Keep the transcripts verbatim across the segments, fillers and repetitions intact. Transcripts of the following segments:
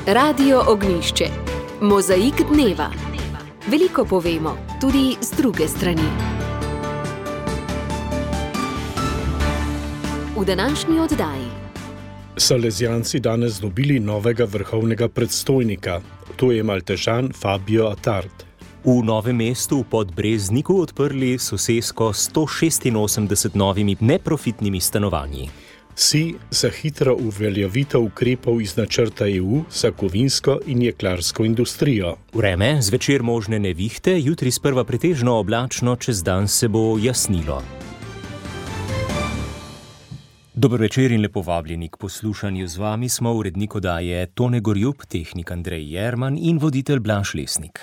Radio Ognjišče. Mozaik dneva. Veliko povemo, tudi z druge strani. V današnji oddaji. Salezijanci danes dobili novega vrhovnega predstojnika. To je Maltežan Fabio Attard. V Novem mestu v Podbrezniku odprli sosesko sto šestinosemdeset novimi neprofitnimi stanovanji. Si za hitro uveljavitev ukrepov iz načrta E U za kovinsko in jeklarsko industrijo. Vreme, zvečer možne nevihte, jutri sprva pretežno oblačno, čez dan se bo jasnilo. Dober večer in lepo vabljeni k poslušanju. Z vami smo urednik oddaje Tone Gorjup, tehnik Andrej Jerman in voditelj Blaž Lesnik.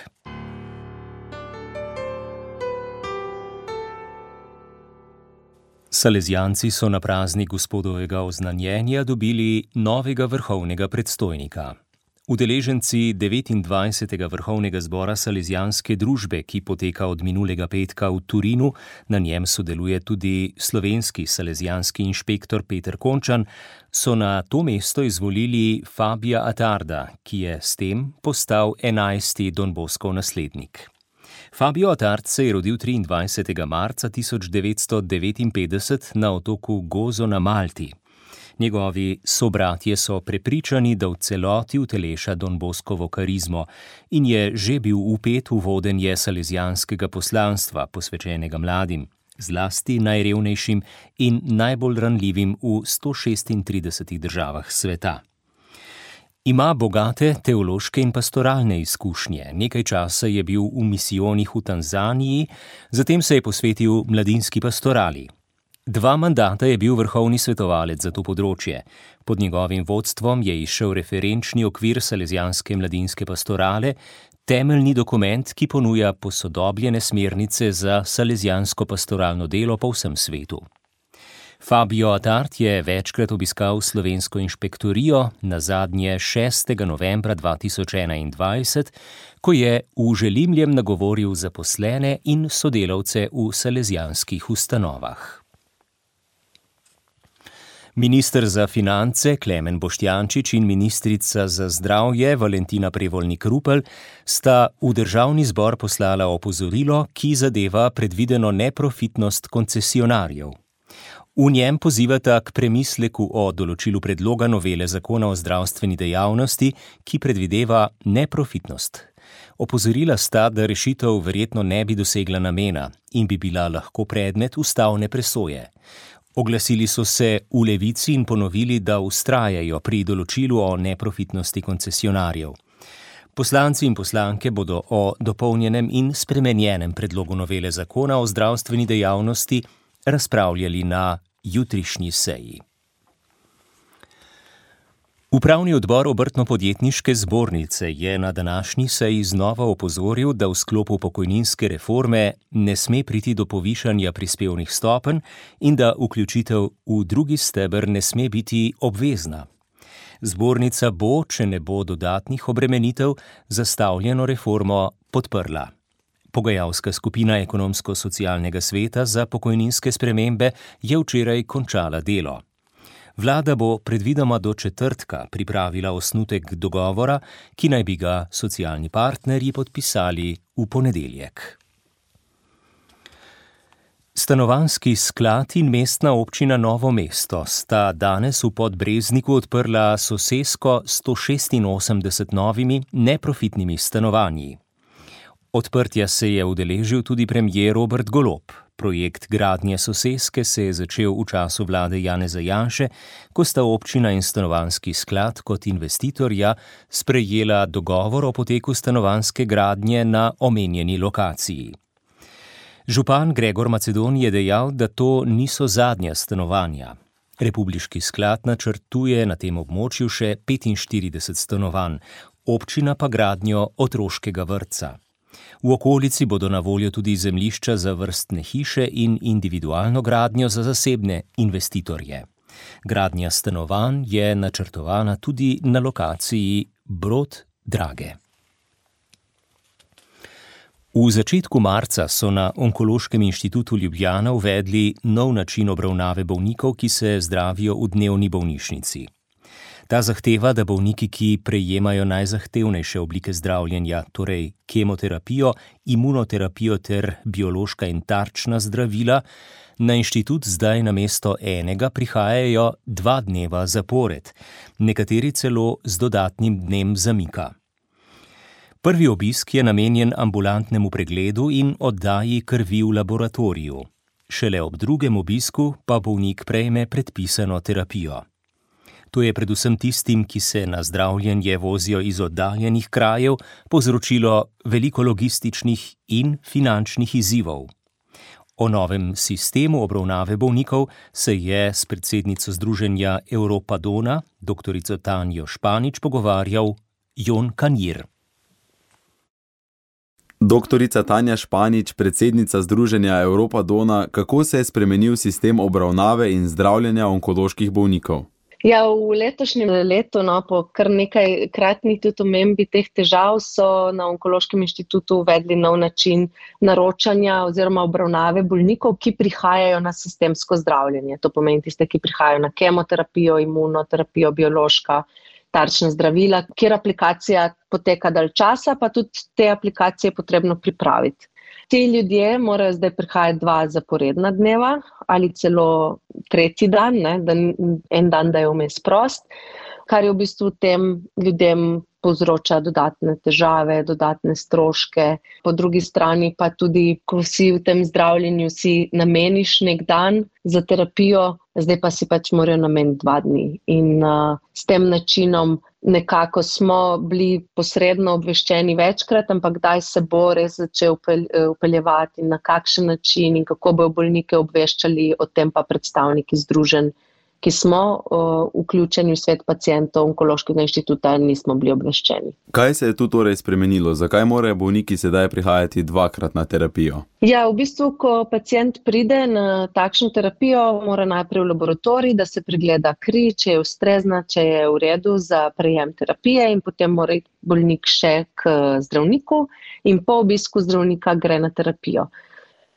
Salezijanci so na praznik gospodovega oznanjenja dobili novega vrhovnega predstojnika. Udeleženci devetindvajsetega vrhovnega zbora Salezijanske družbe, ki poteka od minulega petka v Torinu, na njem sodeluje tudi slovenski salezijanski inšpektor Peter Končan, so na to mesto izvolili Fabia Attarda, ki je s tem postal enajsti Don Boscov naslednik. Fabio Attard se je rodil triindvajsetega marca tisoč devetsto devetinpetdeset na otoku Gozo na Malti. Njegovi sobratje so prepričani, da v celoti uteleša Don Boscovo karizmo in je že bil vpet v vodenje salezijanskega poslanstva, posvečenega mladim, zlasti najrevnejšim in najbolj ranljivim v sto šestintridesetih državah sveta. Ima bogate teološke in pastoralne izkušnje. Nekaj časa je bil v misijonih v Tanzaniji, zatem se je posvetil mladinski pastorali. Dva mandata je bil vrhovni svetovalec za to področje. Pod njegovim vodstvom je izšel referenčni okvir salezijanske mladinske pastorale, temeljni dokument, ki ponuja posodobljene smernice za salezijansko pastoralno delo po vsem svetu. Fabio Attard je večkrat obiskal slovensko inšpektorijo, nazadnje šestega novembra dva tisoč enaindvajset, ko je v Želimljem nagovoril zaposlene in sodelavce v salezijanskih ustanovah. Minister za finance Klemen Boštjančič in ministrica za zdravje Valentina Prevolnik-Rupel sta v državni zbor poslala opozorilo, ki zadeva predvideno neprofitnost koncesionarjev. V njem pozivata k premisleku o določilu predloga novele zakona o zdravstveni dejavnosti, ki predvideva neprofitnost. Opozorila sta, da rešitev verjetno ne bi dosegla namena in bi bila lahko predmet ustavne presoje. Oglasili so se v Levici in ponovili, da vztrajajo pri določilu o neprofitnosti koncesionarjev. Poslanci in poslanke bodo o dopolnjenem in spremenjenem predlogu novele zakona o zdravstveni dejavnosti razpravljali na jutrišnji seji. Upravni odbor Obrtno-podjetniške zbornice je na današnji seji znova opozoril, da v sklopu pokojninske reforme ne sme priti do povišanja prispevnih stopenj in da vključitev v drugi steber ne sme biti obvezna. Zbornica bo, če ne bo dodatnih obremenitev, zastavljeno reformo podprla. Pogajalska skupina Ekonomsko-socialnega sveta za pokojninske spremembe je včeraj končala delo. Vlada bo predvidoma do četrtka pripravila osnutek dogovora, ki naj bi ga socialni partnerji podpisali v ponedeljek. Stanovanjski sklad in mestna občina Novo mesto sta danes v Podbrezniku odprla sosesko sto šestinosemdeset novimi neprofitnimi stanovanji. Odprtja se je udeležil tudi premier Robert Golob. Projekt gradnje soseske se je začel v času vlade Janeza Janše, ko sta občina in stanovanjski sklad kot investitorja sprejela dogovor o poteku stanovanjske gradnje na omenjeni lokaciji. Župan Gregor Macedon je dejal, da to niso zadnja stanovanja. Republiški sklad načrtuje na tem območju še petinštirideset stanovanj, občina pa gradnjo otroškega vrtca. V okolici bodo na voljo tudi zemljišča za vrstne hiše in individualno gradnjo za zasebne investitorje. Gradnja stanovanj je načrtovana tudi na lokaciji Brod Drage. V začetku marca so na Onkološkem inštitutu Ljubljana uvedli nov način obravnave bolnikov, ki se zdravijo v dnevni bolnišnici. Ta zahteva, da bolniki, ki prejemajo najzahtevnejše oblike zdravljenja, torej kemoterapijo, imunoterapijo ter biološka in tarčna zdravila, na inštitut zdaj namesto enega prihajajo dva dneva zapored, nekateri celo z dodatnim dnem zamika. Prvi obisk je namenjen ambulantnemu pregledu in oddaji krvi v laboratoriju. Šele ob drugem obisku pa bolnik prejme predpisano terapijo. To je predvsem tistim, ki se na zdravljenje vozijo iz oddaljenih krajev, povzročilo veliko logističnih in finančnih izzivov. O novem sistemu obravnave bolnikov se je s predsednico združenja Europa-Dona, doktorico Tanjo Španič, pogovarjal Jon Kanjir. Doktorica Tanja Španič, predsednica združenja Europa-Dona, kako se je spremenil sistem obravnave in zdravljenja onkoloških bolnikov? Ja, v letošnjem letu, no, po kar nekaj kratnih tudi omembi teh težav, so na Onkološkem inštitutu uvedli nov način naročanja oziroma obravnave bolnikov, ki prihajajo na sistemsko zdravljenje. To pomeni tiste, ki prihajajo na kemoterapijo, imunoterapijo, biološka, tarčna zdravila, kjer aplikacija poteka dalj časa, pa tudi te aplikacije je potrebno pripraviti. Ti ljudje morajo zdaj prihajati dva zaporedna dneva ali celo tretji dan, ne, da en dan, da je vmes prost, kar je v bistvu tem ljudem povzroča dodatne težave, dodatne stroške. Po drugi strani pa tudi, ko si v tem zdravljenju si nameniš nek dan za terapijo, zdaj pa si pač morajo nameniti dva dni. In uh, s tem načinom nekako smo bili posredno obveščeni večkrat, ampak kdaj se bo res začel upeljevati in na kakšen način in kako bojo bolnike obveščali, o tem pa predstavniki združenj, ki smo uh, vključeni v svet pacientov Onkološkega inštituta, nismo bili obveščeni. Kaj se je tu torej spremenilo? Zakaj morajo bolniki sedaj prihajati dvakrat na terapijo? Ja, v bistvu, ko pacient pride na takšno terapijo, mora najprej v laboratorij, da se pregleda kri, če je ustrezna, če je v redu za prejem terapije, in potem mora iti bolnik še k zdravniku in po obisku zdravnika gre na terapijo.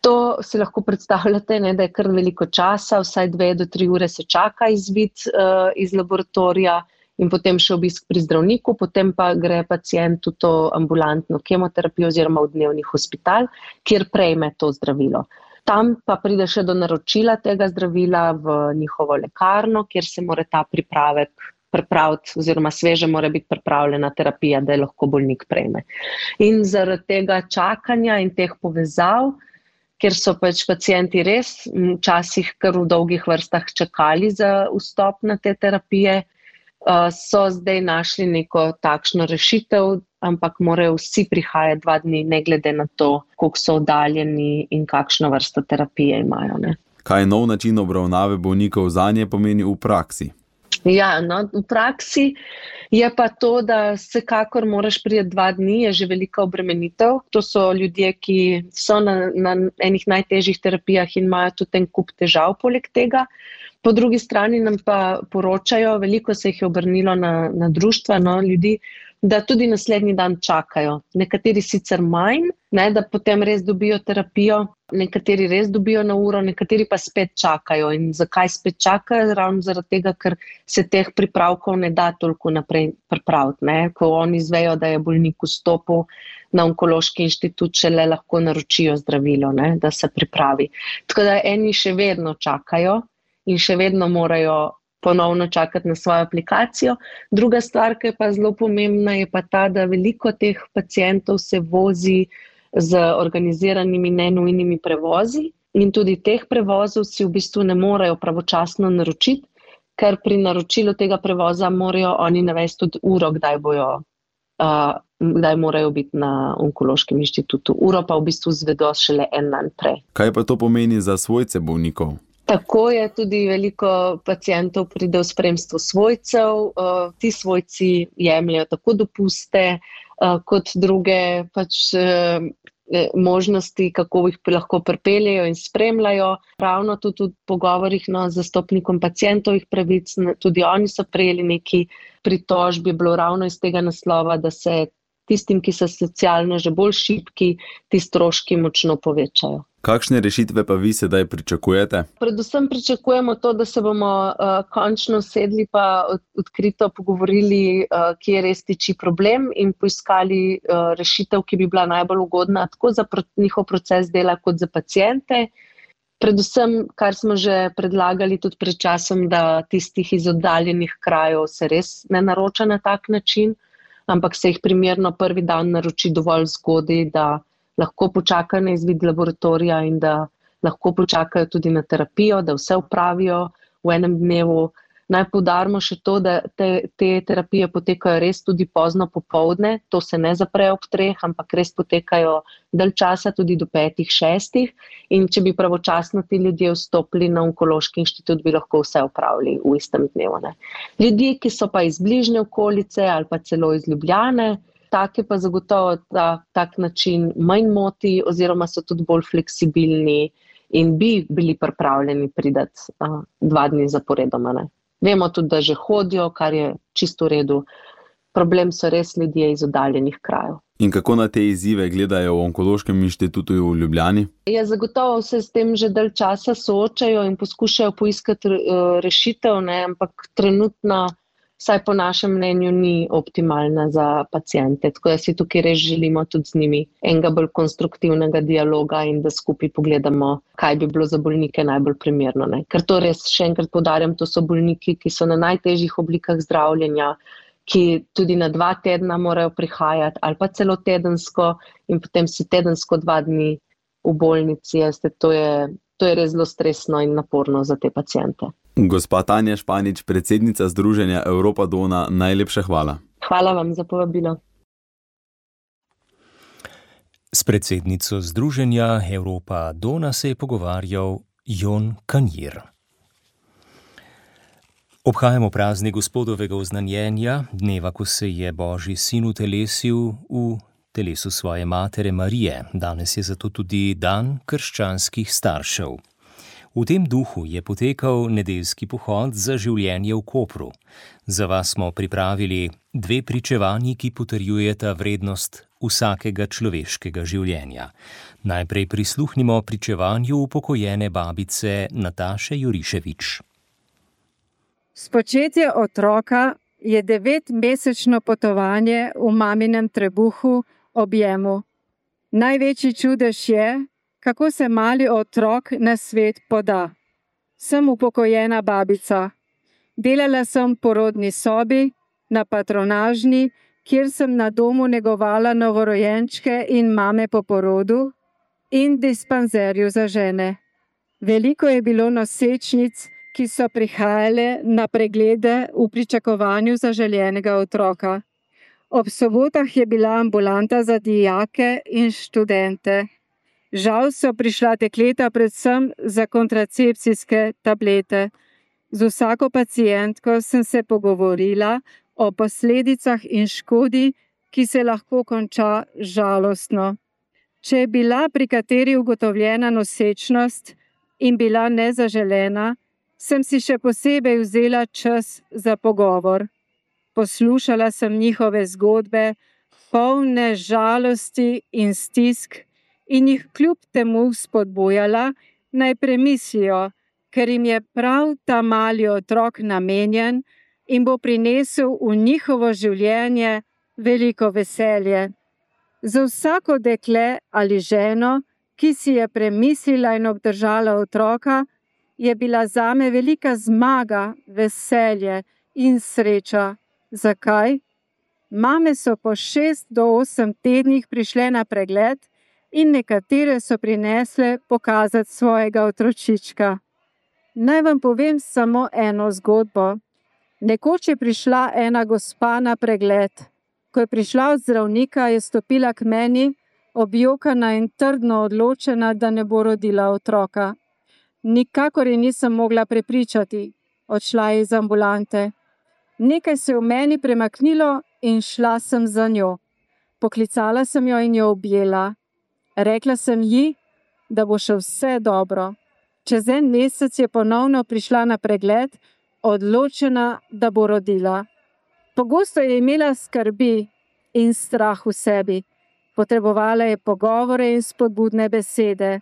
To si lahko predstavljate, ne, da je kar veliko časa, vsaj dve do tri ure se čaka izvid uh, iz laboratorija in potem še obisk pri zdravniku, potem pa gre pacient v to ambulantno kemoterapijo oziroma v dnevni hospital, kjer prejme to zdravilo. Tam pa pride še do naročila tega zdravila v njihovo lekarno, kjer se mora ta pripravek pripraviti oziroma sveže mora biti pripravljena terapija, da je lahko bolnik prejme. In zaradi tega čakanja in teh povezav, ker so pač pacienti res včasih kar v dolgih vrstah čakali za vstop na te terapije, so zdaj našli neko takšno rešitev, ampak morajo vsi prihajati dva dni, ne glede na to, koliko so oddaljeni in kakšno vrsto terapije imajo. Ne. Kaj nov način obravnave bolnikov zanje pomeni v praksi? Ja, no, v praksi je pa to, da vsekakor moraš priti dva dni, je že velika obremenitev. To so ljudje, ki so na, na enih najtežjih terapijah in imajo tudi en kup težav poleg tega. Po drugi strani nam pa poročajo, veliko se jih je obrnilo na, na društva, no, ljudi, da tudi naslednji dan čakajo. Nekateri sicer manj, ne, da potem res dobijo terapijo, nekateri res dobijo na uro, nekateri pa spet čakajo. In zakaj spet čakajo? Ravno zaradi tega, ker se teh pripravkov ne da toliko naprej pripraviti. Ne. Ko oni izvejo, da je bolnik vstopil na Onkološki inštitut, šele lahko naročijo zdravilo, ne, da se pripravi. Tako da eni še vedno čakajo in še vedno morajo ponovno čakati na svojo aplikacijo. Druga stvar, ki je pa zelo pomembna, je pa ta, da veliko teh pacientov se vozi z organiziranimi nenujnimi prevozi in tudi teh prevozov si v bistvu ne morejo pravočasno naročiti, ker pri naročilu tega prevoza morajo oni navesti tudi uro, kdaj bojo, uh, kdaj morajo biti na Onkološkem inštitutu. Uro pa v bistvu zvedo šele en dan prej. Kaj pa to pomeni za svojce bolnikov? Tako je, tudi veliko pacientov pride v spremstvu svojcev, uh, ti svojci jemljajo tako dopuste, uh, kot druge pač uh, možnosti, kako jih lahko pripeljejo in spremljajo. Ravno tudi v pogovorih no, z zastopnikom pacientovih pravic, tudi oni so prejeli neki pritožbi, bilo ravno iz tega naslova, da se tistim, ki so socialno že bolj šibki, ti stroški močno povečajo. Kakšne rešitve pa vi sedaj pričakujete? Predvsem pričakujemo to, da se bomo uh, končno sedli pa od, odkrito pogovorili, uh, kje res tiči problem in poiskali uh, rešitev, ki bi bila najbolj ugodna tako za pro, njihov proces dela kot za paciente. Predvsem, kar smo že predlagali tudi pred časom, da tistih iz oddaljenih krajev se res ne naroča na tak način, ampak se jih primerno prvi dan naroči dovolj zgodaj, da lahko počakajo na izvid laboratorija in da lahko počakajo tudi na terapijo, da vse opravijo v enem dnevu. Naj poudarimo še to, da te, te terapije potekajo res tudi pozno popoldne, to se ne zapre ob treh, ampak res potekajo dalj časa, tudi do petih, šestih. In če bi pravočasno ti ljudje vstopili na onkološki inštitut, bi lahko vse opravili v istem dnevu. Ne. Ljudje, ki so pa iz bližnje okolice ali pa celo iz Ljubljane, take pa zagotovo ta, tak način manj moti oziroma so tudi bolj fleksibilni in bi bili pripravljeni pridati uh, dva dni zaporedoma. Ne. Vemo tudi, da že hodijo, kar je čisto v redu. Problem so res ljudje iz oddaljenih krajev. In kako na te izzive gledajo v Onkološkem inštitutu v Ljubljani? Ja, zagotovo se s tem že dalj časa soočajo in poskušajo poiskati uh, rešitev, ne, ampak trenutno, vsaj po našem mnenju, ni optimalna za paciente. Tako da si tukaj res želimo tudi z njimi enega bolj konstruktivnega dialoga in da skupaj pogledamo, kaj bi bilo za bolnike najbolj primerno. Ne. Ker to res, še enkrat poudarjam, to so bolniki, ki so na najtežjih oblikah zdravljenja, ki tudi na dva tedna morajo prihajati ali pa celo tedensko in potem si tedensko dva dni v bolnici. Jeste, to je, to je res zelo stresno in naporno za te paciente. Gospa Tanja Španič, predsednica Združenja Europa Dona, najlepša hvala. Hvala vam za povabilo. S predsednico Združenja Europa Dona se je pogovarjal Jon Kanjir. Obhajamo praznik Gospodovega oznanjenja, dneva, ko se je Božji sin utelesil v telesu svoje matere Marije. Danes je zato tudi dan krščanskih staršev. V tem duhu je potekal nedeljski pohod za življenje v Kopru. Za vas smo pripravili dve pričevanji, ki potrjujeta vrednost vsakega človeškega življenja. Najprej prisluhnimo pričevanju upokojene babice Nataše Juriševič. Spočetje otroka je devetmesečno potovanje v maminem trebuhu objemu. Največji čudež je, kako se mali otrok na svet poda. Sem upokojena babica. Delala sem v porodni sobi, na patronažni, kjer sem na domu negovala novorojenčke in mame po porodu, in dispanzerju za žene. Veliko je bilo nosečnic, ki so prihajale na preglede v pričakovanju zaželenega otroka. Ob sobotah je bila ambulanta za dijake in študente. Žal so prišla dekleta predvsem za kontracepcijske tablete. Z vsako pacientko sem se pogovorila o posledicah in škodi, ki se lahko konča žalostno. Če je bila pri kateri ugotovljena nosečnost in bila nezaželena, sem si še posebej vzela čas za pogovor. Poslušala sem njihove zgodbe, polne žalosti in stisk, in jih kljub temu spodbujala, naj premislijo, ker jim je prav ta mali otrok namenjen in bo prinesel v njihovo življenje veliko veselje. Za vsako dekle ali ženo, ki si je premislila in obdržala otroka, je bila zame velika zmaga, veselje in sreča. Zakaj? Mame so po šest do osem tednih prišle na pregled in nekatere so prinesle pokazati svojega otročička. Naj vam povem samo eno zgodbo. Nekoč je prišla ena gospa na pregled. Ko je prišla od zdravnika, je stopila k meni, objokana in trdno odločena, da ne bo rodila otroka. Nikakor je nisem mogla prepričati. Odšla je iz ambulante. Nekaj se je v meni premaknilo in šla sem za njo. Poklicala sem jo in jo objela. Rekla sem ji, da bo še vse dobro. Čez en mesec je ponovno prišla na pregled, odločena, da bo rodila. Pogosto je imela skrbi in strah v sebi. Potrebovala je pogovore in spodbudne besede.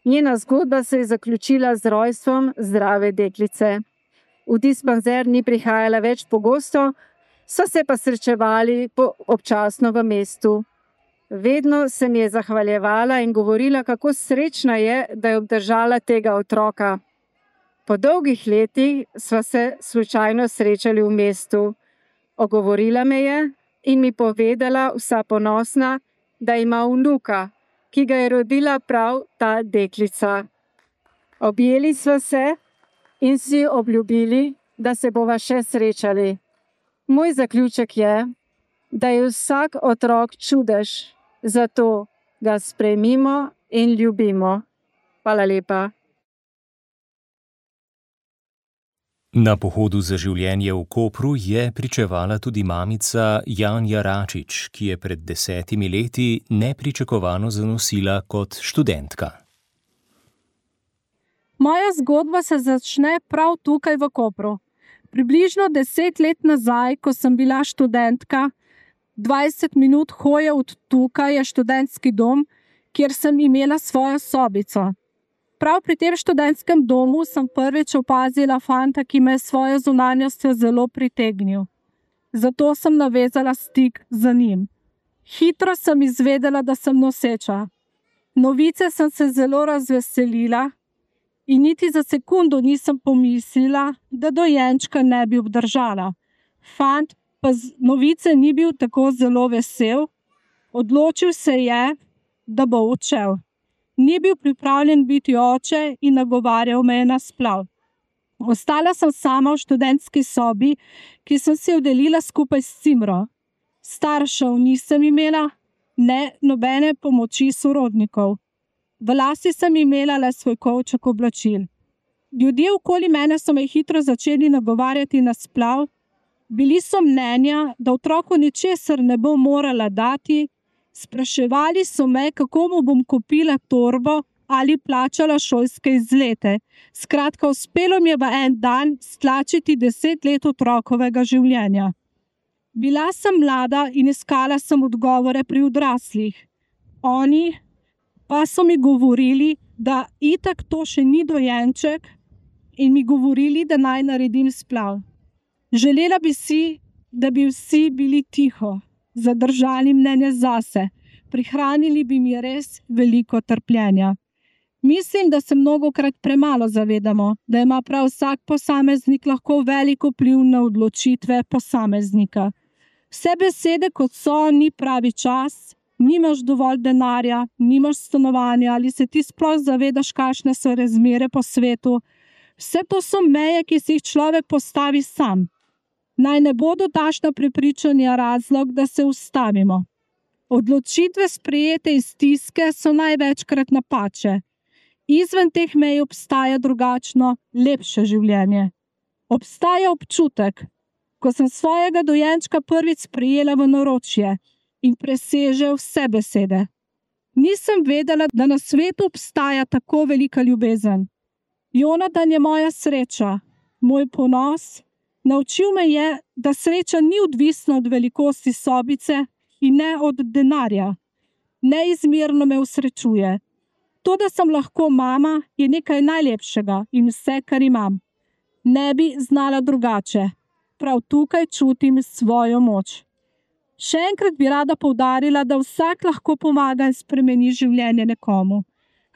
Njena zgodba se je zaključila z rojstvom zdrave deklice. V dispanzer ni prihajala več pogosto, so se pa srečevali občasno v mestu. Vedno se mi je zahvaljevala in govorila, kako srečna je, da je obdržala tega otroka. Po dolgih letih sva se slučajno srečali v mestu. Ogovorila me je in mi povedala vsa ponosna, da ima vnuka, ki ga je rodila prav ta deklica. Objeli sva se in si obljubili, da se bova še srečali. Moj zaključek je, da je vsak otrok čudež, zato ga sprejmimo in ljubimo. Hvala lepa. Na pohodu za življenje v Kopru je pričevala tudi mamica Janja Račič, ki je pred desetimi leti nepričakovano zanosila kot študentka. Moja zgodba se začne prav tukaj v Kopru. Približno deset let nazaj, ko sem bila študentka, dvajset minut hoje od tukaj je študentski dom, kjer sem imela svojo sobico. Prav pri tem študentskem domu sem prvič opazila fanta, ki me je svojo zunanjostjo zelo pritegnil. Zato sem navezala stik z njim. Hitro sem izvedela, da sem noseča. Novice sem se zelo razveselila in niti za sekundo nisem pomislila, da dojenčka ne bi obdržala. Fant pa z novice ni bil tako zelo vesel, odločil se je, da bo odšel. Ni bil pripravljen biti oče in nagovarjal me je na splav. Ostala sem sama v študentski sobi, ki sem si jo delila skupaj s Cimro. Staršev nisem imela, ne nobene pomoči sorodnikov. V lasti sem imela le svoj kovček oblačil. Ljudje okoli mene so me hitro začeli nagovarjati na splav. Bili so mnenja, da otroku ničesar ne bo morala dati. Spraševali so me, kako mu bom kupila torbo ali plačala šolske izlete. Skratka, uspelo mi je v en dan stlačiti deset let otrokovega življenja. Bila sem mlada in iskala sem odgovore pri odraslih. Oni pa so mi govorili, da itak to še ni dojenček in mi govorili, da naj naredim splav. Želela bi si, da bi vsi bili tiho, zadržali mnenje zase, prihranili bi mi res veliko trpljenja. Mislim, da se mnogokrat premalo zavedamo, da ima prav vsak posameznik lahko veliko vpliv na odločitve posameznika. Vse besede, kot so, ni pravi čas, nimaš dovolj denarja, nimaš stanovanja ali se ti sploh zavedaš, kakšne so razmere po svetu. Vse to so meje, ki si jih človek postavi sam. Naj ne bodo takšna prepričanja razlog, da se ustavimo. Odločitve sprejete iz stiske so največkrat napače. Izven teh mej obstaja drugačno, lepše življenje. Obstaja občutek, ko sem svojega dojenčka prvič sprejela v naročje in preseže vse besede. Nisem vedela, da na svetu obstaja tako velika ljubezen. Jonatan je moja sreča, moj ponos. Naučil me je, da sreča ni odvisna od velikosti sobice in ne od denarja. Neizmerno me usrečuje. To, da sem lahko mama, je nekaj najlepšega in vse, kar imam. Ne bi znala drugače. Prav tukaj čutim svojo moč. Še enkrat bi rada poudarila, da vsak lahko pomaga in spremeni življenje nekomu.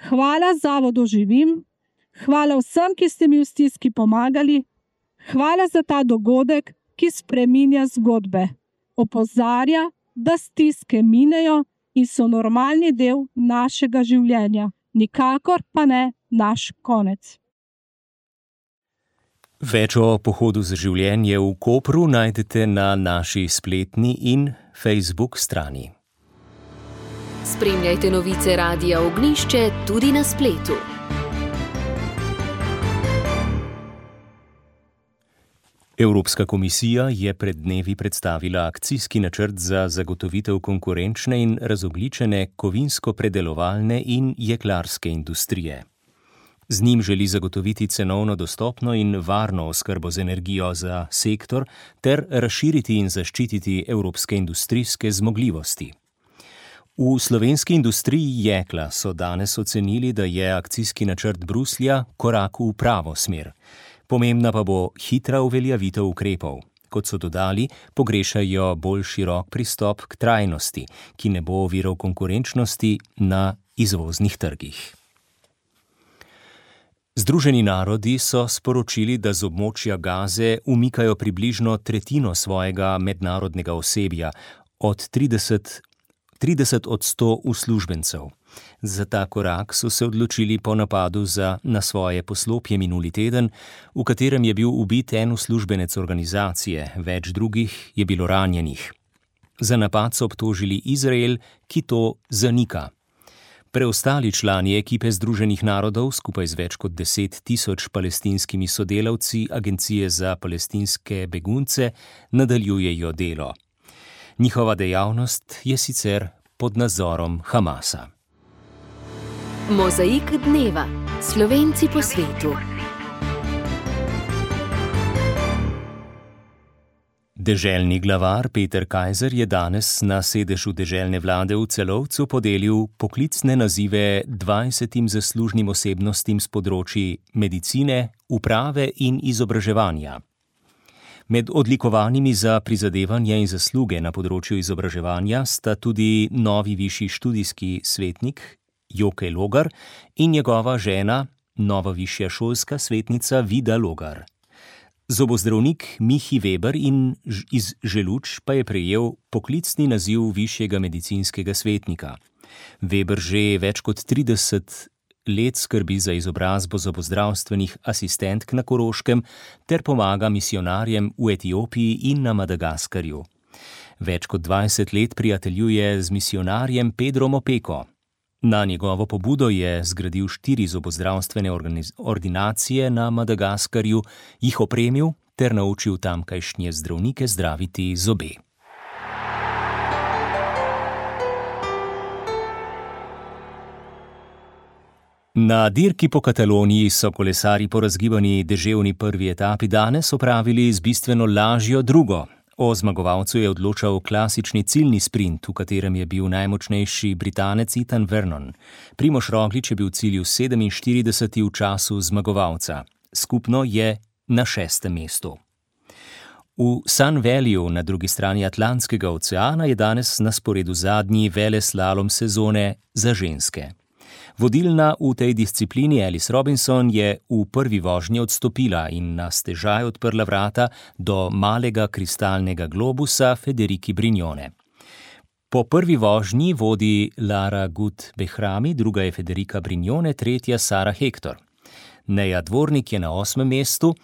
Hvala Zavodu Živim, hvala vsem, ki ste mi v stiski pomagali. Hvala za ta dogodek, ki spreminja zgodbe. Opozarja, da stiske minejo in so normalni del našega življenja. Nikakor pa ne naš konec. Več o pohodu za življenje v Kopru najdete na naši spletni in Facebook strani. Spremljajte novice Radia Ognjišče tudi na spletu. Evropska komisija je pred dnevi predstavila akcijski načrt za zagotovitev konkurenčne in razogljičene kovinsko-predelovalne in jeklarske industrije. Z njim želi zagotoviti cenovno dostopno in varno oskrbo z energijo za sektor ter razširiti in zaščititi evropske industrijske zmogljivosti. V slovenski industriji jekla so danes ocenili, da je akcijski načrt Bruslja korak v pravo smer. Pomembna pa bo hitra uveljavitev ukrepov. Kot so dodali, pogrešajo bolj širok pristop k trajnosti, ki ne bo oviral konkurenčnosti na izvoznih trgih. Združeni narodi so sporočili, da z območja Gaze umikajo približno tretjino svojega mednarodnega osebja, od trideset, trideset od sto uslužbencev. Za ta korak so se odločili po napadu za, na svoje poslopje minuli teden, v katerem je bil ubit en uslužbenec organizacije, več drugih je bilo ranjenih. Za napad so obtožili Izrael, ki to zanika. Preostali člani ekipe Združenih narodov, skupaj z več kot deset tisoč palestinskimi sodelavci Agencije za palestinske begunce, nadaljujejo delo. Njihova dejavnost je sicer pod nadzorom Hamasa. Mozaik dneva. Slovenci po svetu. Deželni glavar Peter Kajzer je danes na sedežu deželne vlade v Celovcu podelil poklicne nazive dvajsetim zaslužnim osebnostim s področji medicine, uprave in izobraževanja. Med odlikovanimi za prizadevanja in zasluge na področju izobraževanja sta tudi novi višji študijski svetnik Joke Logar in njegova žena, nova višja šolska svetnica Vida Logar. Zobozdravnik Mihi Weber in iz Želuč pa je prejel poklicni naziv višjega medicinskega svetnika. Weber že več kot trideset let skrbi za izobrazbo zobozdravstvenih asistentk na Koroškem ter pomaga misijonarjem v Etiopiji in na Madagaskarju. Več kot dvajset let prijateljuje z misijonarjem Pedrom Opeko. Na njegovo pobudo je zgradil štiri zobozdravstvene ordinacije na Madagaskarju, jih opremil ter naučil tamkajšnje zdravnike zdraviti zobe. Na dirki po Kataloniji so kolesarji po razgibani deževni prvi etapi danes opravili z bistveno lažjo drugo. O zmagovalcu je odločal klasični ciljni sprint, v katerem je bil najmočnejši Britanec Ethan Vernon. Primož Roglič je bil v cilju sedeminštirideseti v času zmagovalca. Skupno je na šestem mestu. V Sun Valleyju na drugi strani Atlantskega oceana je danes na sporedu zadnji veleslalom sezone za ženske. Vodilna v tej disciplini Alice Robinson je v prvi vožnji odstopila in na stežaj odprla vrata do malega kristalnega globusa Federiki Brignone. Po prvi vožnji vodi Lara Gut Behrami, druga je Federika Brignone, tretja Sara Hector. Neja Dvornik je na osmem mestu,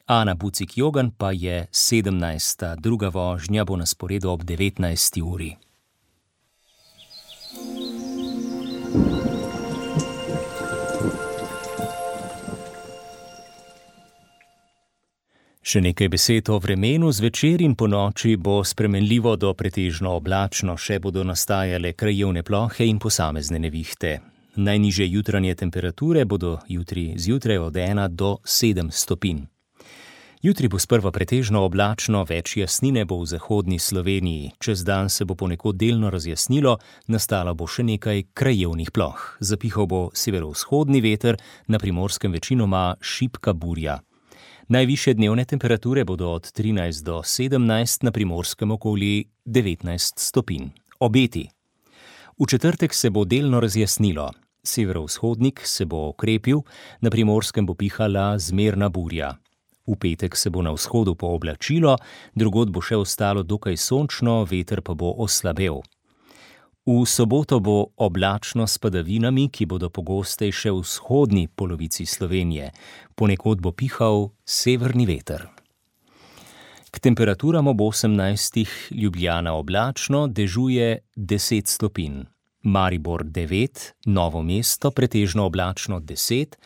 Ana Bucik-Jogan pa je sedemnajsta. Druga vožnja bo na sporedu ob devetnajsti uri. Še nekaj besed o vremenu. Zvečer in ponoči bo spremenljivo do pretežno oblačno, še bodo nastajale krajevne plohe in posamezne nevihte. Najnižje jutranje temperature bodo jutri zjutraj od ena do sedem stopinj. Jutri bo sprva pretežno oblačno, več jasnine bo v zahodni Sloveniji. Čez dan se bo ponekod delno razjasnilo, nastalo bo še nekaj krajevnih ploh. Zapihal bo severovzhodni veter, na Primorskem večinoma šibka burja. Najvišje dnevne temperature bodo od trinajst do sedemnajst, na Primorskem okoli devetnajst stopinj. Obeti. V četrtek se bo delno razjasnilo. Severovzhodnik se bo okrepil, na Primorskem bo pihala zmerna burja. V petek se bo na vzhodu pooblačilo, drugod bo še ostalo dokaj sončno, veter pa bo oslabel. V soboto bo oblačno s padavinami, ki bodo pogostejše v vzhodni polovici Slovenije. Ponekod bo pihal severni veter. K temperaturam ob osemnajstih Ljubljana oblačno, dežuje deset stopinj. Maribor devet, Novo mesto pretežno oblačno deset,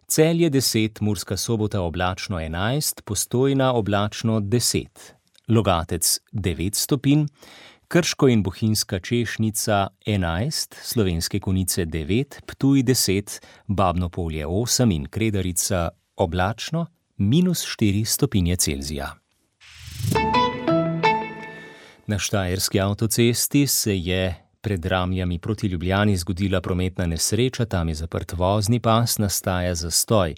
Celje deset, Murska Sobota oblačno enajst, Postojna oblačno deset, Logatec devet stopinj, Krško in bohinjska češnica enajst, Slovenske Konjice devet, Ptuj deset, Babno Polje osem in Kredarica oblačno minus štiri stopinje Celzija. Na štajerski avtocesti se je pred Ramljami proti Ljubljani zgodila prometna nesreča, tam je zaprt vozni pas, nastaja zastoj.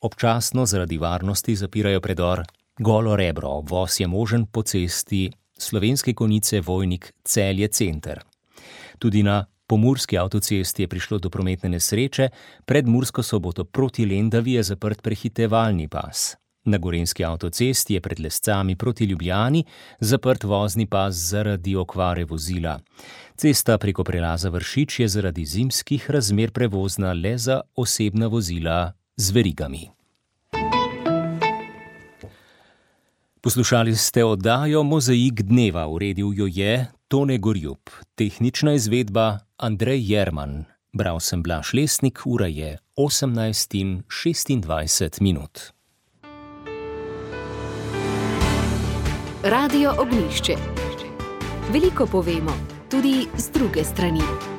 Občasno zaradi varnosti zapirajo predor Golo Rebro, obvoz je možen po cesti Slovenske Konjice Vojnik Celje center. Tudi na pomurski avtocesti je prišlo do prometne nesreče, pred Mursko Soboto proti Lendavi je zaprt prehitevalni pas. Na gorenjski avtocesti je pred Lescami proti Ljubljani zaprt vozni pas zaradi okvare vozila. Cesta preko prelaza Vršič je zaradi zimskih razmer prevozna le za osebna vozila z verigami. Poslušali ste oddajo Mozaik dneva, uredil jo je Tone Gorjup, tehnična izvedba Andrej Jerman. Bral sem Blaž Lesnik, ura je osemnajst in šestindvajset minut. Radio Ognjišče. Veliko povemo, tudi z druge strani.